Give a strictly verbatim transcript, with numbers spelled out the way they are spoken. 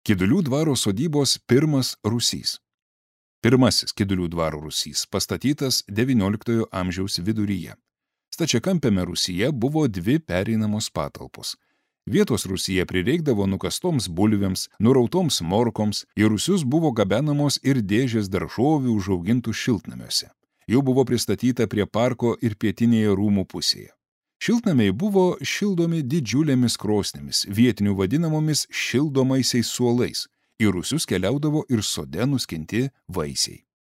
Kidulių dvaro sodybos pirmas rūsys. Pirmasis Kidulių dvaro rūsys pastatytas devynioliktojo amžiaus viduryje. Stačiakampiame rūsyje buvo dvi pereinamos patalpos. Vietos rūsyje prireikdavo nukastoms bulvėms, nurautoms morkoms, į rūsius buvo gabenamos ir dėžės daržovių užaugintų šiltnamiuose. Jų buvo pristatyta prie parko ir pietinėje rūmų pusėje. Šiltnamiai buvo šildomi didžiulėmis krosnėmis, vietinių vadinamomis šildomaisiais suolais. Į rūsius keliaudavo ir sode nuskinti vaisiai.